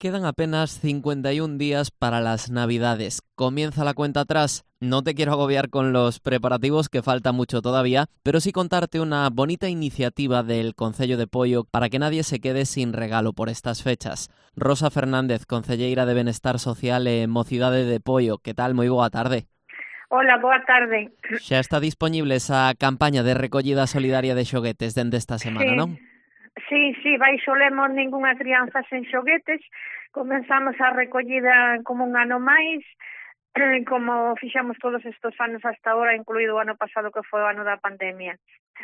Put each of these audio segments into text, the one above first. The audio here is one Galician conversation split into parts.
Quedan apenas 51 días para las Navidades. Comienza la cuenta atrás. No te quiero agobiar con los preparativos, que falta mucho todavía, pero sí contarte una bonita iniciativa del Concello de Poio para que nadie se quede sin regalo por estas fechas. Rosa Fernández, concelleira de Benestar Social e Mocidade de Poio. Que tal? Moi boa tarde. Hola, boa tarde. Xa está dispoñible esa campaña de recollida solidaria de xoguetes dende esta semana, non? Sí, baixo lemos ningunha crianza sen xoguetes. Comenzamos a recollida como un ano máis, como fixamos todos estes anos hasta ahora, incluído o ano pasado que foi o ano da pandemia.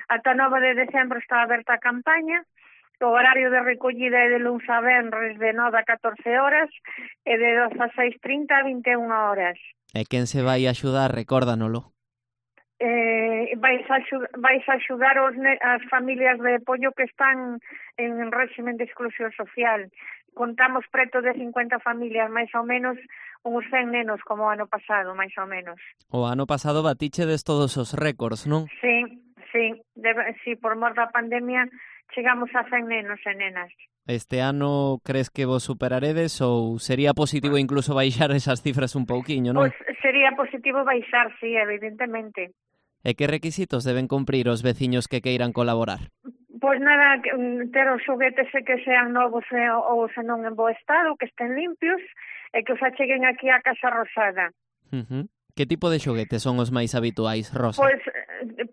Ata 9 de decembro está aberta a campaña. O horario de recollida é de luns a venres de 9 a 14 horas e de 12 a 6:30 a 21 horas. E quen se vai axudar, recórdanolo. Vais a axudar as familias de Poio que están en régimen de exclusión social. Contamos preto de 50 familias, máis ou menos, uns 100 nenos como o ano pasado, máis ou menos. O ano pasado batichedes todos os récords, non? Sí, por mor da pandemia chegamos a 100 nenos e nenas. Este ano crees que vos superaredes ou sería positivo incluso baixar esas cifras un pouquiño, non? Pois sería positivo baixar, sí, evidentemente. E que requisitos deben cumprir os veciños que queiran colaborar? Pois nada, ter os xoguetes que sean novos ou se non en bo estado, que estén limpios e que os acheguen aquí á Casa Rosada. Que tipo de xoguetes son os máis habituais, Rosa?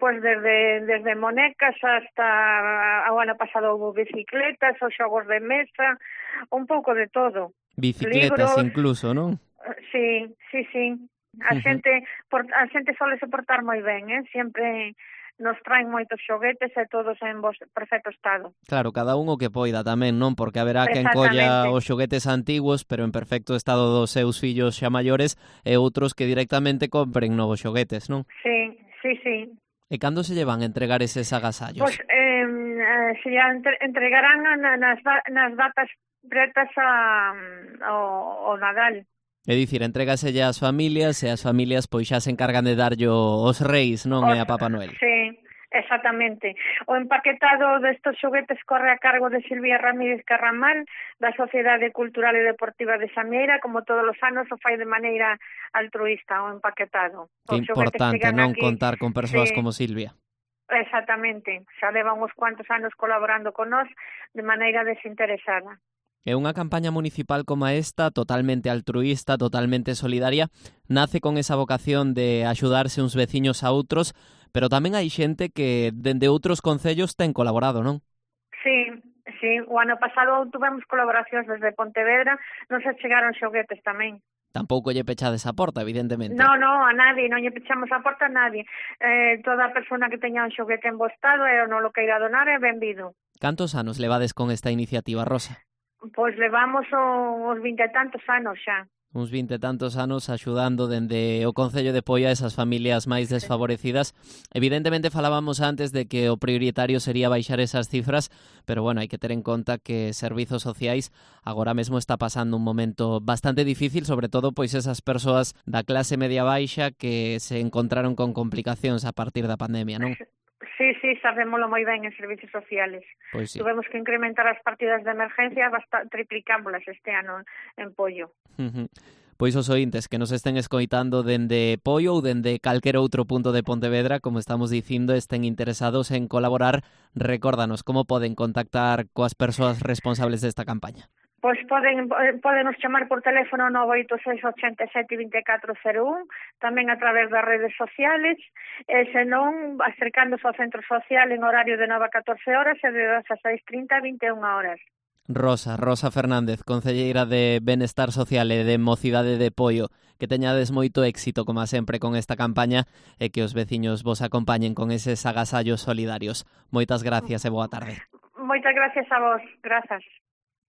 Pois desde monecas hasta o ano pasado houve bicicletas, os xogos de mesa, un pouco de todo. Bicicletas Libros, incluso, non? Sí. A xente sole se portar moi ben, sempre nos traen moitos xoguetes e todos en perfecto estado. Claro, cada un o que poida tamén, non? Porque haberá quen colla os xoguetes antigos, pero en perfecto estado dos seus fillos xa maiores, e outros que directamente compren novos xoguetes, non? Sí. E cando se llevan a entregar eses agasallos? Pois se entregarán nas datas pretas ao Nadal. É dicir, entrégaselle ás familias e as familias pois xa se encargan de darllo os reis, non é a Papá Noel. Sí, exactamente. O empaquetado destes xoguetes corre a cargo de Silvia Ramírez Carramal, da Sociedade Cultural e Deportiva de Xamieira, como todos os anos o fai de maneira altruísta o empaquetado. Que importante, non, contar con persoas como Silvia. Exactamente, xa levan uns cuantos anos colaborando con nós de maneira desinteresada. E unha campaña municipal como esta, totalmente altruísta, totalmente solidaria, nace con esa vocación de axudarse uns veciños a outros, pero tamén hai xente que dende outros concellos ten colaborado, non? Sí, o ano pasado tuvemos colaboracións desde Pontevedra, nos chegaron xoguetes tamén. Tampouco lle pechades a porta, evidentemente. No, a nadie, non lle pechamos a porta a nadie. Toda persona que teña un xoguete en bo estado e non lo queira donar é benvido. Cantos anos levades con esta iniciativa, Rosa? Pois levamos uns 20 e tantos anos xa. Uns 20 e tantos anos axudando dende o Concello de Poio a esas familias máis desfavorecidas. Evidentemente falábamos antes de que o prioritario sería baixar esas cifras, pero bueno, hai que ter en conta que Servizos Sociais agora mesmo está pasando un momento bastante difícil, sobre todo pois esas persoas da clase media baixa que se encontraron con complicacións a partir da pandemia, non? Sí, sabémoslo moi ben en servicios sociales. Pois sí. Tuvemos que incrementar as partidas de emergencia, triplicámoslas este ano en Poio. Pois os ointes que nos estén escoitando dende Poio ou dende calquer outro punto de Pontevedra, como estamos dicindo, estén interesados en colaborar, recórdanos como poden contactar coas persoas responsables desta campaña. Pois podenos chamar por teléfono 986 87 2401, tamén a través das redes sociales, e senón acercándose ao centro social en horario de 9 a 14 horas e de 2 a 6:30 a 21 horas. Rosa Fernández, concelleira de Benestar Social e de Mocidade de Poio, que teñades moito éxito, como sempre, con esta campaña e que os veciños vos acompañen con eses agasallos solidarios. Moitas gracias e boa tarde. Moitas gracias a vos, grazas.